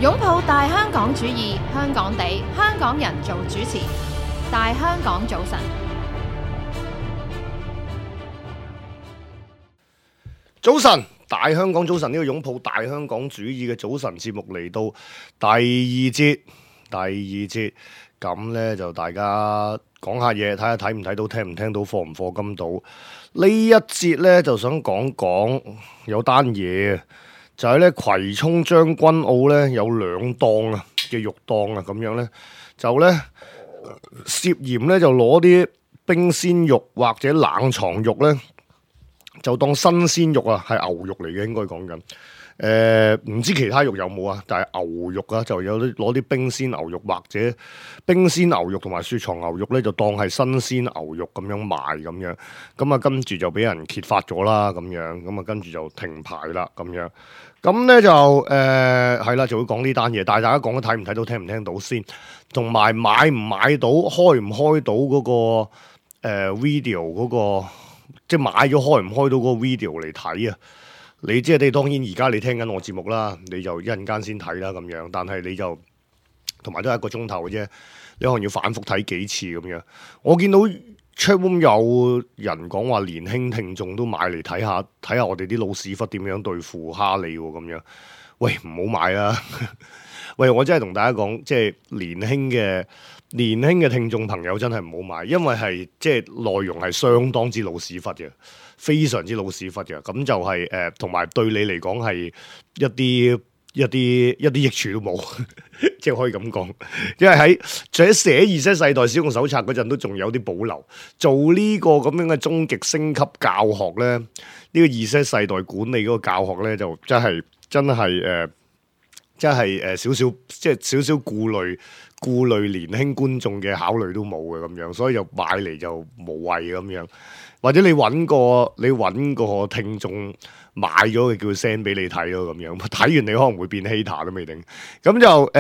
擁抱大香港主義，香港地，香港人做主持。大香港早晨，早晨，大香港早晨，呢個擁抱大香港主義嘅早晨節目嚟到第二節，咁呢，就大家講下嘢，睇下睇唔睇到，聽唔聽到，課唔課金到。呢一節呢，就想講講有單嘢，就係呢葵涌將軍澳呢有兩檔啊嘅肉檔啊，咁樣呢，就呢涉嫌呢就攞啲冰鮮肉或者冷藏肉呢，就當新鮮肉啊，係牛肉嚟嘅，應該講緊。唔知其他肉有冇啊？但係牛肉啊，就有啲攞啲冰鮮牛肉或者冰鮮牛肉同埋雪藏牛肉咧，就當係新鮮牛肉咁樣賣咁樣。咁啊，跟住就俾人揭發咗啦，咁樣。咁啊，跟住就停牌啦，咁樣。咁咧就係啦，就會講呢單嘢。但係大家講得睇唔睇到，聽唔聽到先，同埋買唔買到，開唔開到嗰個video 嗰個，即係買咗開唔開到嗰個 video 嚟睇啊？你即係你當然而家你聽緊我節目啦，你就一陣間先睇啦咁樣，但係你就同埋都係1個鐘頭嘅啫，你可能要反覆睇幾次咁樣。我見到 chatroom 有人講話年輕聽眾都買嚟睇下我哋啲老屎忽點樣對付哈利喎咁樣。喂，唔好買啦！喂，我真係同大家講，即係年輕嘅聽眾朋友真係唔好買，因為係即係內容係相當之老屎忽嘅。非常之老屎忽嘅，咁就係同埋對你嚟講係一啲益處都冇，即係可以咁講。因為喺寫Z世代使用手冊嗰陣，都仲有啲保留。做呢個咁樣嘅終極升級教學咧，呢個Z世代管理嗰個教學咧，就真係少少顧慮年輕觀眾嘅考慮都冇嘅咁樣，所以就買嚟就無謂咁樣。或者你揾個聽眾買咗嘅，叫佢 send 俾你睇咯咁樣，睇完你可能會變 hater 都未定。咁就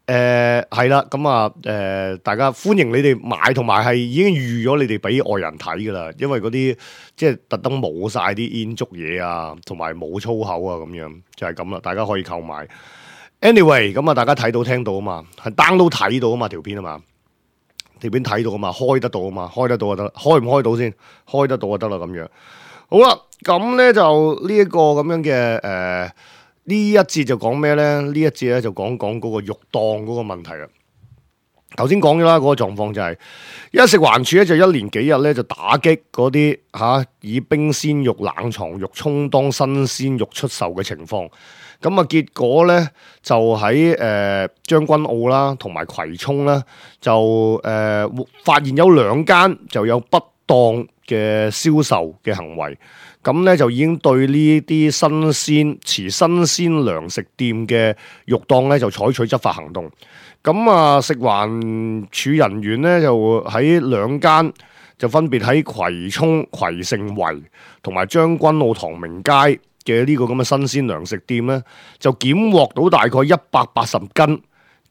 係啦，咁啊大家歡迎你哋買，同埋係已經預咗你哋俾外人睇噶啦，因為嗰啲即係特登冇晒啲煙燭嘢啊，同埋冇粗口啊咁樣，就係咁啦，大家可以購買。Anyway， 咁啊大家睇到聽到啊嘛，係 download 睇到啊嘛條片啊嘛。條片睇到啊嘛，開得到啊嘛，開得到就得，開唔開到先？開得到就得啦咁樣。好啦，咁咧就呢一個咁樣嘅呢一節就講咩咧？呢一節咧就講嗰個肉檔嗰個問題啦。頭先講咗啦，嗰個狀況就係，因為食環署咧就一連幾日咧就打擊嗰啲以冰鮮肉、冷藏肉充當新鮮肉出售嘅情況。咁啊，結果咧就喺將軍澳啦，同埋葵涌啦，就發現有2間就有不當嘅銷售嘅行為。咁咧就已經對呢啲持新鮮糧食店嘅肉檔咧就採取執法行動。咁啊，食環署人員咧就喺2間就分別喺葵涌葵盛圍同埋將軍澳唐明街嘅呢個咁嘅新鮮糧食店咧，就檢獲到大概180斤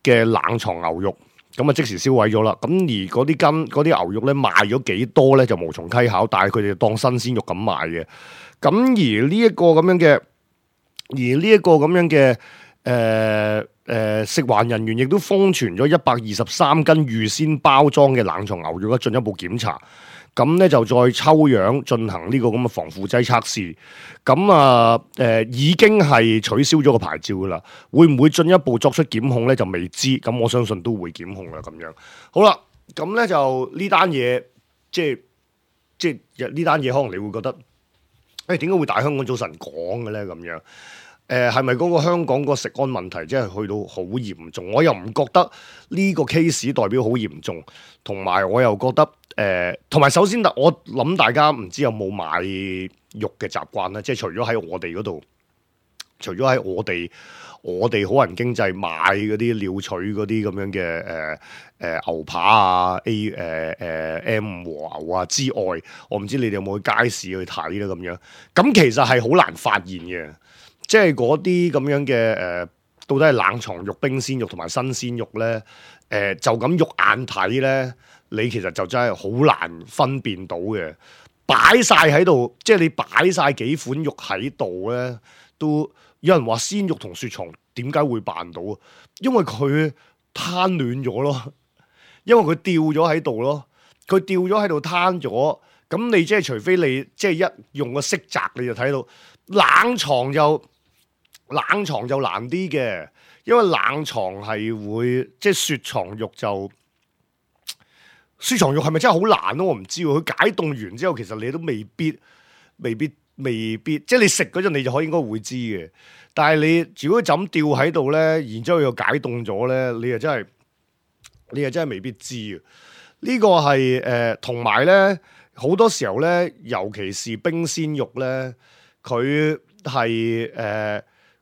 嘅冷藏牛肉，咁啊即時銷毀咗啦。咁而嗰啲牛肉咧賣咗幾多咧就無從稽考，但係佢哋當新鮮肉咁賣嘅。咁而呢一個咁樣嘅食環人員亦都封存咗123斤預先包裝嘅冷藏牛肉咧，進一步檢查。咁咧就再抽樣進行呢個咁嘅防腐劑測試。咁啊已經係取消咗個牌照噶啦，會唔會進一步作出檢控咧就未知。咁我相信都會檢控啦咁樣。好啦，咁咧就呢單嘢，即係呢單嘢，可能你會覺得，點解會大香港早晨講嘅咧咁樣？係咪嗰個香港個食安問題真係去到好嚴重？我又唔覺得呢個 case 代表好嚴重，同埋我又覺得同埋首先我諗大家唔知有冇買肉嘅習慣咧，即係除咗喺我哋嗰度，除咗喺我哋好人經濟買嗰啲鳥取嗰啲咁樣嘅牛扒啊 M 和牛啊之外，我唔知你哋有冇去街市去睇咧咁樣。咁其實係好難發現嘅。即係嗰啲咁樣嘅到底係冷藏肉、冰鮮肉同埋新鮮肉咧？就咁肉眼睇咧，你其實就真係好難分辨到嘅。擺晒喺度，即係你擺晒幾款肉喺度咧，都有人話鮮肉同雪藏點解會辦到啊？因為佢攤亂咗咯，因為佢吊咗喺度咯，佢吊咗喺度攤咗，咁你即係除非你即係一用個色澤，你就睇到冷藏就難啲嘅，因為冷藏係會即係雪藏肉就。雪藏肉係咪真係好難咯？我唔知喎。佢解凍完之後，其實你都未必，即係你食嗰陣你就可以應該會知嘅。但係你如果就咁吊喺度咧，然之後又解凍咗咧，你又真係未必知啊！呢個係同埋咧好多時候咧，尤其是冰鮮肉咧，佢係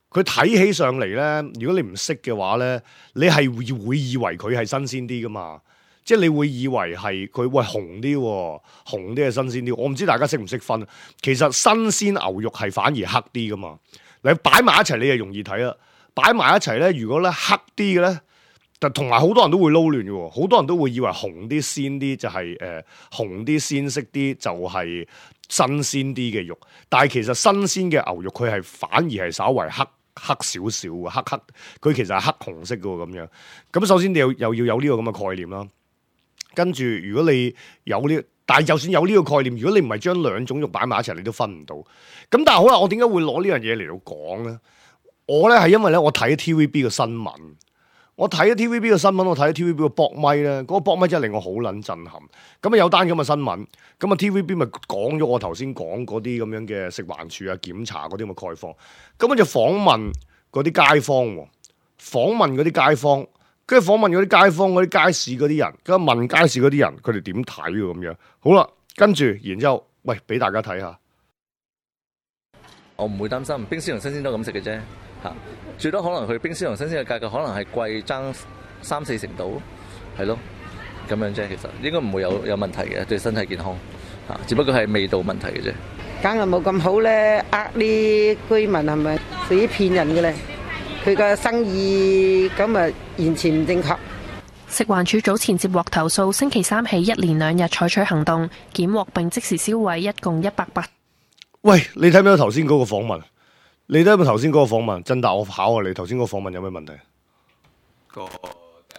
佢睇起上嚟咧，如果你唔識嘅話咧，你係會以為佢係新鮮啲噶嘛。即係你會以為係佢喂紅啲，紅啲係新鮮啲。我唔知大家識唔識分。其實新鮮牛肉係反而黑啲噶嘛。你擺埋一齊你就容易睇啦。擺埋一齊咧，如果咧黑啲嘅咧，但同埋好多人都會撈亂嘅。好多人都會以為紅啲鮮啲就係紅啲鮮色啲就係新鮮啲嘅肉。但係其實新鮮嘅牛肉佢係反而係稍為黑少少嘅，黑佢其實係黑紅色嘅喎咁樣。咁首先你又要有呢個咁嘅概念啦。跟住，如果你有呢，但係就算有呢個概念，如果你唔係將兩種肉擺埋一齊，你都分唔到。咁但係好啦，我點解會攞呢樣嘢嚟到講咧？我咧係因為咧，我睇 TVB 嘅新聞，我睇 TVB 嘅新聞，我睇 TVB 嘅博咪咧，嗰個博咪真係令我好撚震撼。咁啊有單咁嘅新聞，咁啊 TVB 咪講咗我頭先講嗰啲咁樣嘅食環署啊檢查嗰啲咁嘅概況，咁就訪問嗰啲街坊喎，訪問嗰啲街坊。跟住訪問嗰啲街坊、嗰啲街市嗰啲人，跟住問街市嗰啲人，佢哋點睇喎咁樣？好啦，跟住然之後，喂，俾大家睇下。我唔會擔心，冰鮮同新鮮都咁食嘅啫，嚇。最多可能佢冰鮮同新鮮嘅價格可能係貴爭3-4成度，係咯，咁樣啫。其實應該唔會有問題嘅，對身體健康嚇，只不過係味道問題嘅啫。梗係冇咁好咧，啲居民係咪屬於騙人嘅咧？佢個生意咁啊，完全唔正確。食環署早前接獲投訴，星期三起1連2日採取行動，檢獲並即時銷毀一共100。喂，你睇唔睇到頭先嗰個訪問？你睇唔睇頭先嗰個訪問？真答我考下你，頭先嗰個訪問有咩問題？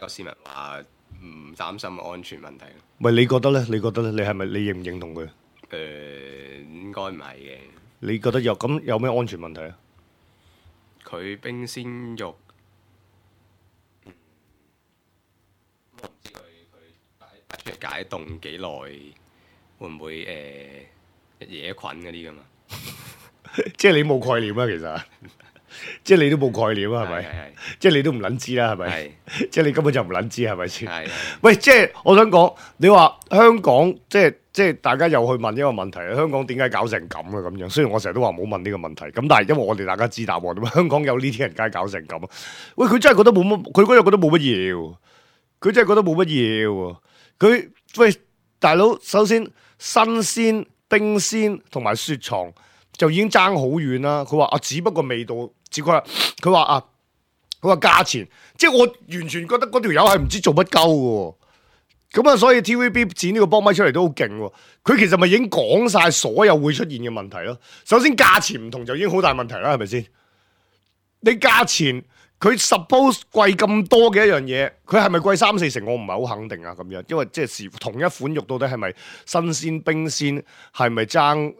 個市民話唔擔心安全問題。喂，你覺得咧？你係咪你認唔認同佢？應該唔係嘅。你覺得有咩安全問題啊？佢冰鮮肉，我唔知佢擺出嚟解凍幾耐，會唔會惹菌嗰啲噶嘛？即係你冇概念啊，其實，即係你都冇概念啊，係咪？係。即係你都唔撚知啦，係咪？係。即係你根本就唔撚知，係咪先？係。喂，即係我想講，你話香港即係大家又去問一個問題，香港點解搞成咁啊？咁樣，雖然我成日都話唔好問呢個問題，咁但係因為我哋大家知答案，點解香港有呢啲人梗係搞成咁啊？喂，佢真係覺得冇乜，佢嗰日覺得冇乜嘢喎，佢真係覺得冇乜嘢喎。佢喂大佬，首先新鮮、冰鮮同埋雪藏就已經爭好遠啦。佢話啊，只不過味道，佢話啊，佢話價錢，即係我完全覺得嗰條友係唔知做乜鳩嘅。咁啊，所以 TVB 剪呢個波咪出嚟都好勁喎。佢其實咪已經講晒所有會出現嘅問題咯。首先價錢唔同就已經好大問題啦，係咪先？你價錢佢 suppose 貴咁多嘅一樣嘢，佢係咪貴3-4成？我唔係好肯定啊。咁樣，因為即係同一款肉到底係咪新鮮冰鮮，係咪爭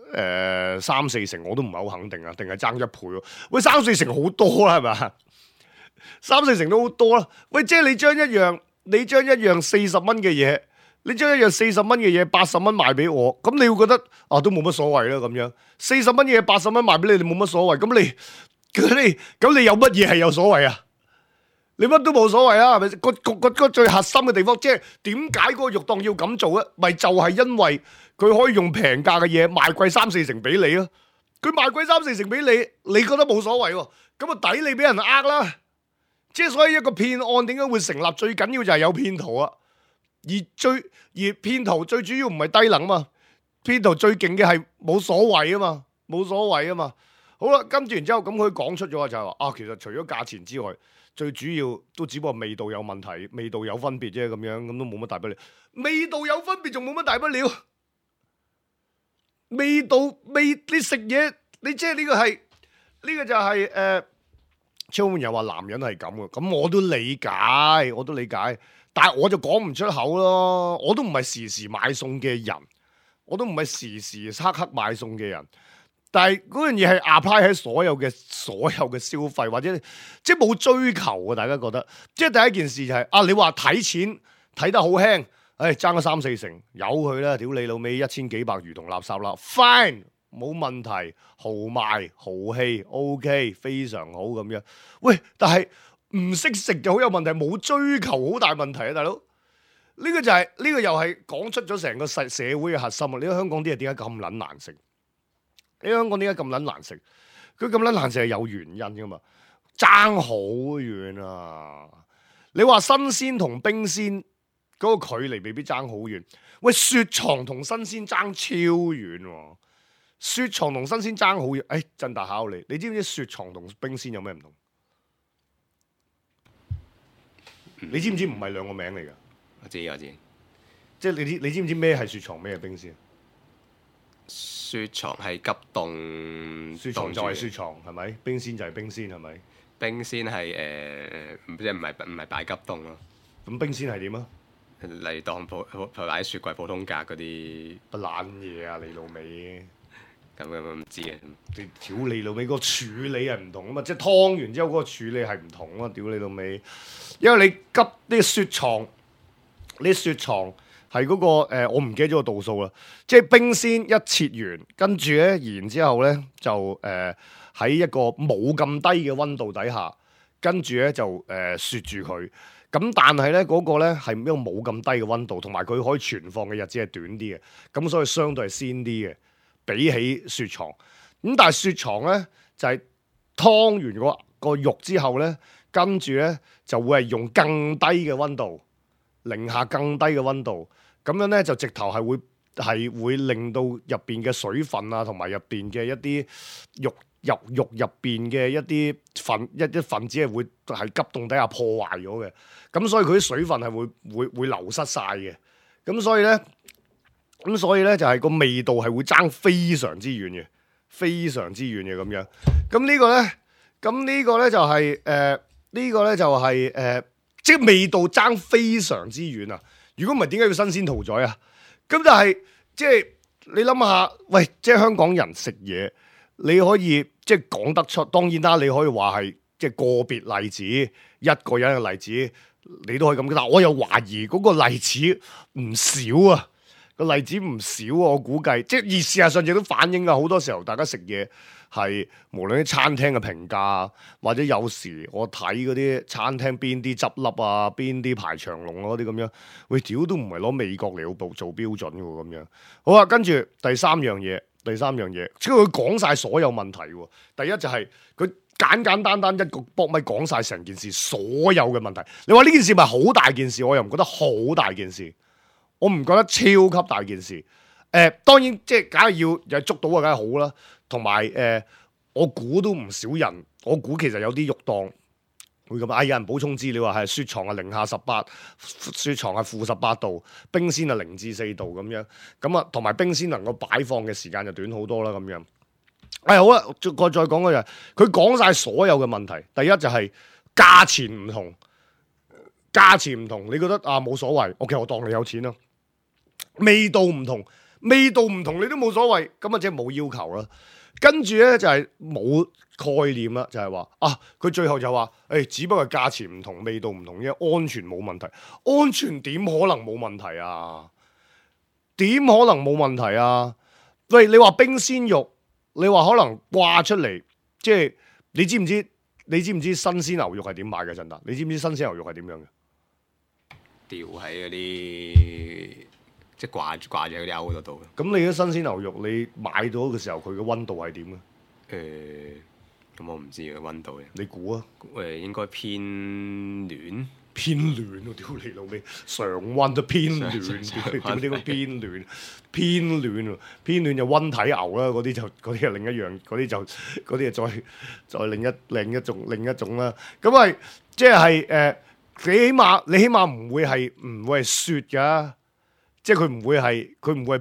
3-4成？我都唔係好肯定啊。定係爭1倍喎？喂，3-4成好多啦，係咪？3-4成都好多啦。喂，即係你將一樣40蚊嘅嘢，你將一樣40蚊嘅嘢80蚊賣俾我，咁你會覺得啊都冇乜所謂啦咁樣。40蚊嘅嘢80蚊賣俾你，你冇乜所謂。咁你有乜嘢係有所謂啊？你乜都冇所謂啊，係咪？個最核心嘅地方，即係點解嗰個肉檔要咁做咧？咪就係因為佢可以用平價嘅嘢賣貴3-4成俾你咯。佢賣貴3-4成俾你，你覺得冇所謂喎？咁啊抵你俾人呃啦。即係所以一個騙案點解會成立？最緊要就係有騙徒啊！而騙徒最主要唔係低能嘛，騙徒最勁嘅係冇所謂啊嘛，冇所謂啊嘛。好啦，跟住然之後咁佢講出咗就係話啊，其實除咗價錢之外，最主要都只不過味道有問題，味道有分別啫，咁樣咁都冇乜大不了。味道有分別仲冇乜大不了。味道你食嘢，你即係呢個就係超門又話男人係咁嘅，咁我都理解，但係我就講唔出口咯。我都唔係時時買餸嘅人，我都唔係時時刻刻買餸嘅人。但係嗰樣嘢係 apply 喺所有嘅消費，或者即係冇追求啊！大家覺得，即係第一件事就係你話睇錢睇得好輕，爭咗3-4成，由佢啦，屌你老味，1000幾百如同垃圾啦 ，fine 冇問題，豪邁豪氣 OK 非常好咁樣。喂，但係唔識食就好有問題，冇追求好大問題啊，大佬。呢個又係講出咗成個社會嘅核心啊！你睇香港啲嘢點解咁撚難食？你香港點解咁撚難食？佢咁撚難食係有原因噶嘛，爭好遠啊！你話新鮮同冰鮮嗰個距離未必爭好遠。喂，雪藏同新鮮爭超遠喎！雪藏同新鮮爭好遠。振達考你知唔知雪藏同冰鮮有咩唔同？你知唔知唔係兩個名嚟㗎？我知。即係你知唔知咩係雪藏，咩係冰鮮？雪藏係急凍，雪藏就係雪藏，係咪？冰鮮就係冰鮮，係咪？冰鮮係即係唔係擺急凍咯？咁冰鮮係點啊？嚟當擺喺雪櫃普通格嗰啲不懶嘢啊！你老味咁唔知啊！你屌你老味個處理係唔同啊嘛，即係劏完之後嗰個處理係唔同啊！屌你老味，因為你急啲雪藏，係嗰個我唔記得咗個度數啦。即係冰鮮一切完，跟住咧，然之後咧就喺一個冇咁低嘅溫度底下，跟住咧就雪住佢。咁但係咧嗰個咧係一個冇咁低嘅溫度，同埋佢可以存放嘅日子係短啲嘅，咁所以相對係鮮啲嘅，比起雪藏。咁但係雪藏咧就係劏完個肉之後咧，跟住咧就會係用更低嘅溫度，零下更低嘅溫度，咁樣咧就直頭係會令到入邊嘅水分啊，同埋入邊嘅一啲肉入邊嘅一啲分子係會係急凍底下破壞咗嘅，咁所以佢啲水分係會流失晒嘅，咁所以咧就係個味道係會爭非常之遠嘅，咁樣。咁呢個咧就係即係味道爭非常之遠啊！如果唔係點解要新鮮屠宰啊？咁但係即係你諗下，喂，即係香港人食嘢。你可以即係講得出，當然啦，你可以話係即係個別例子，一個人嘅例子，你都可以咁。但係我又懷疑嗰個例子唔少啊，我估計即係而事實上亦都反映啊，好多時候大家食嘢係無論啲餐廳嘅評價，或者有時我睇嗰啲餐廳邊啲執笠啊，邊啲排長龍啊嗰啲咁樣，喂，屌都唔係攞美國嚟做標準嘅喎咁樣。好啊，跟住第三樣嘢，即係佢講晒所有問題喎。第一就係佢簡單一個博咪講晒成件事所有嘅問題。你話呢件事咪好大件事？我又唔覺得好大件事，我唔覺得超級大件事。當然即係梗係要捉到啊，梗係好啦。同埋我估都唔少人，我估其實有啲肉檔會咁啊！有人補充資料話係雪藏係零下18，雪藏係-18度，冰鮮係0至4度咁樣。咁啊，同埋冰鮮能夠擺放嘅時間就短好多啦咁樣。好啦，再講嗰樣，佢講晒所有嘅問題。第一就係價錢唔同，你覺得冇所謂？OK，我當你有錢啦。味道唔同你都冇所謂，咁啊即係冇要求啦。跟住咧就係冇概念啦，就係話佢最後就話只不過價錢唔同，味道唔同啫，安全冇問題。安全點可能冇問題啊？喂，你話冰鮮肉，你話可能掛出嚟，即係你知唔知新鮮牛肉係點買嘅？振達，你知唔知新鮮牛肉係點樣嘅？吊喺嗰啲即係掛住喺嗰啲鈎嗰度。咁你啲新鮮牛肉，你買到嘅時候，佢嘅溫度係點嘅？咁我唔知嘅溫度嘅。你估啊？應該偏暖。偏暖喎！屌你老味，常溫都偏暖，點解偏暖？偏暖就溫體牛啦，嗰啲係另一樣，嗰啲就再另一種啦。咁係即係你起碼唔會係雪㗎，即係佢唔會係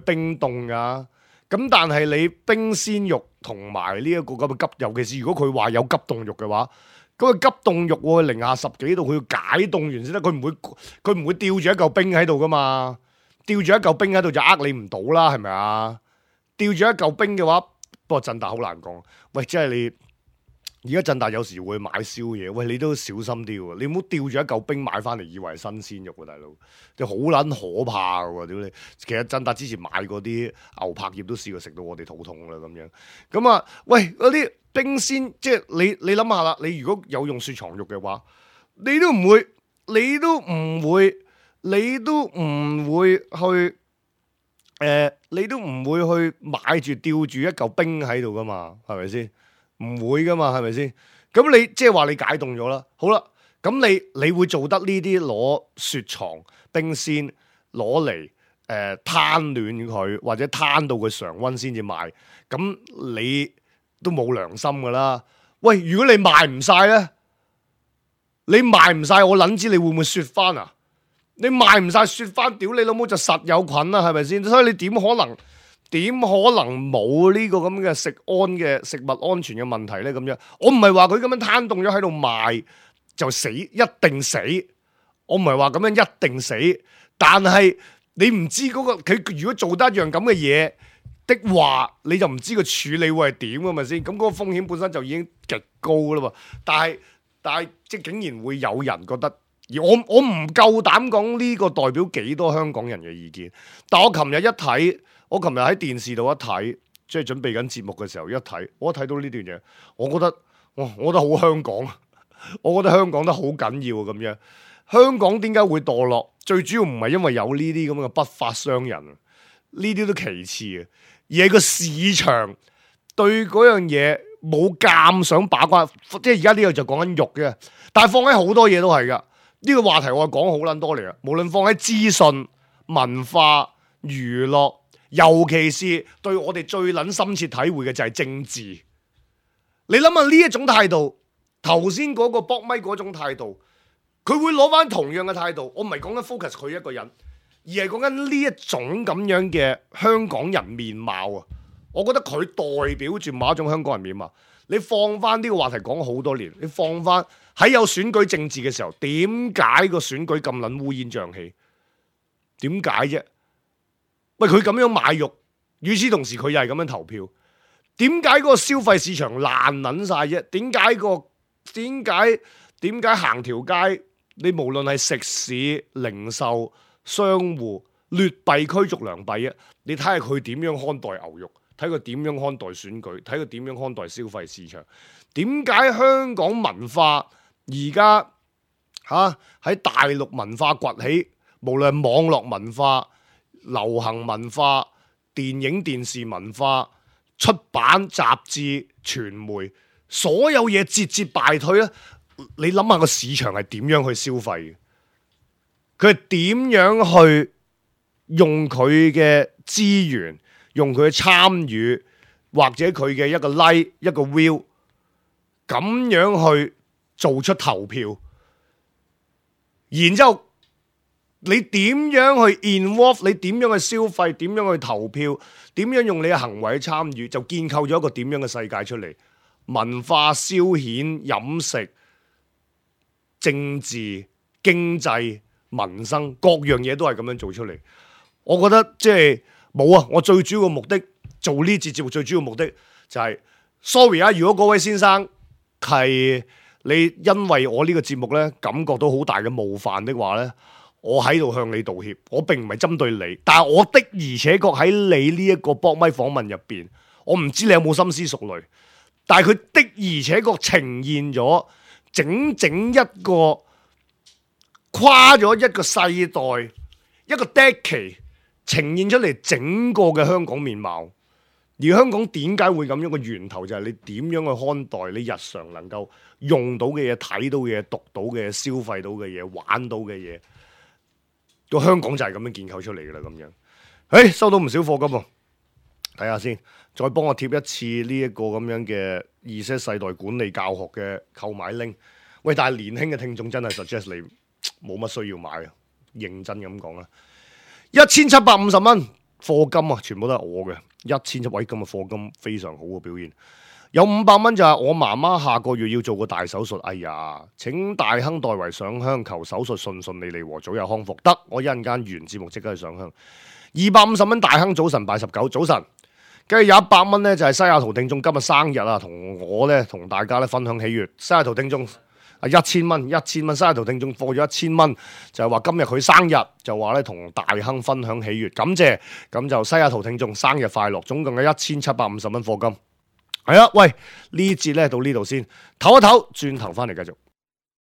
冰凍㗎。咁但係你冰鮮肉同埋呢一個咁嘅急，尤其是如果佢話有急凍肉嘅話。咁佢急凍肉喎，零下10幾度，佢要解凍完先得，佢唔會吊住一嚿冰喺度噶嘛，吊住一嚿冰喺度就你唔到啦，係咪啊？吊住一嚿冰嘅話，不過振達好難講。喂，即係你。而家振達有時會買宵夜，喂，你都小心啲喎，你唔好吊住一嚿冰買翻嚟以為係新鮮肉喎，大佬，就好撚可怕嘅喎，屌你！其實振達之前買嗰啲牛柏葉都試過食到我哋肚痛啦咁樣。咁啊，喂，嗰啲冰鮮，即係你諗下啦，你如果有用雪藏肉嘅話，你都唔會去買住吊住一嚿冰喺度噶嘛，係咪先？唔會噶嘛，係咪先？咁你即係話你解凍咗啦，好啦，咁你會做得呢啲攞雪藏冰鮮攞嚟攤暖佢，或者攤到佢常溫先至賣，咁你都冇良心噶啦。喂，如果你賣唔晒咧，我撚知你會唔會雪翻啊？你賣唔晒雪翻，屌你老母就實有菌啦，係咪先？所以你點可能冇呢個咁嘅食物安全嘅問題呢？咁樣我唔係話佢咁樣攤凍咗喺度賣就死，一定死。我唔係話咁樣一定死，但係你唔知嗰個佢如果做得一樣咁嘅嘢的話，你就唔知個處理會係點㗎嘛先。咁嗰個風險本身就已經極高啦喎。但係即係竟然會有人覺得，而我唔夠膽講呢個代表幾多香港人嘅意見。但我琴日喺電視度一睇，即係準備緊節目嘅時候一睇，我睇到呢段嘢，我覺得好香港，我覺得香港得好緊要咁樣。香港點解會墮落？最主要唔係因為有呢啲咁嘅不法商人，呢啲都其次嘅，而係個市場對嗰樣嘢冇咁想把關。即係而家呢個就講緊肉嘅，但係放喺好多嘢都係噶。呢個話題我講好撚多嚟啊！無論放喺資訊、文化、娛樂。尤其是對我哋最撚深切體會嘅就係政治。你諗下呢一種態度，頭先嗰個博咪嗰種態度，佢會攞翻同樣嘅態度。我唔係講緊 focus 佢一個人，而係講緊呢一種咁樣嘅香港人面貌啊！我覺得佢代表住某一種香港人面貌。你放翻呢個話題講咗好多年，你放翻喺有選舉政治嘅時候，點解個選舉咁撚烏煙瘴氣？點解啫？喂，佢咁樣買肉，與此同時佢又係咁樣投票，點解嗰個消費市場爛撚晒啫？點解行條街，你無論係食肆、零售、商戶，劣幣驅逐良幣啊！你睇下佢點樣看待牛肉，睇佢點樣看待選舉，睇佢點樣看待消費市場。點解香港文化而家喺大陸文化崛起，無論係網絡文化、流行文化、電影電視文化、出版雜誌、傳媒，所有嘢節節敗退咧？你諗下個市場係點樣去消費嘅？佢係點樣去用佢嘅資源、用佢嘅參與，或者佢嘅一個 like、一個 view，咁樣去做出投票，然之後你點樣去 involve， 你點樣去消費，點樣去投票，點樣用你嘅行為去參與，就建構咗一個點樣嘅世界出嚟。文化、消遣、飲食、政治、經濟、民生，各樣嘢都係咁樣做出嚟。我覺得即係冇啊！我最主要嘅目的做呢節節目最主要嘅目的就係，sorry 啊！如果嗰位先生係你因為我呢個節目呢感覺到好大嘅冒犯的話呢，我喺度向你道歉。我並唔係針對你，但係我的而且確喺你呢一個博咪訪問入邊，我唔知你有冇深思熟慮，但係佢的而且確呈現咗整整一個跨咗一個世代一個 decade 呈現出嚟整個嘅香港面貌。而香港點解會咁樣嘅源頭就係你點樣去看待你日常能夠用到嘅嘢、睇到嘅嘢、讀到嘅嘢、消費到嘅嘢、玩到嘅嘢，個香港就係咁樣建構出嚟嘅啦。咁樣，收到唔少課金喎，睇下先，再幫我貼一次呢一個咁樣嘅Z世代管理教學嘅購買 link。喂，但係年輕嘅聽眾真係 suggest 你冇乜需要買啊，認真咁講啦，1750蚊課金啊，全部都係我嘅。1700位今日課金非常好嘅表現。有500蚊就係我媽媽下個月要做個大手術，哎呀，請大亨代為上香，求手術順順利利和早日康復。得，我一陣間完節目即刻去上香。250蚊大亨早晨拜19，早晨。跟住有100蚊咧就係西雅圖聽眾今日生日啊，同我咧同大家咧分享喜悅。西雅圖聽眾1000蚊，1000蚊西雅圖聽眾課咗1000蚊，就係話今日佢生日，就話咧同大亨分享喜悅，感謝。咁就西雅圖聽眾生日快樂，總共有1750蚊課金。係啊，喂，呢節咧到呢度先，唞一唞，轉頭翻嚟繼續。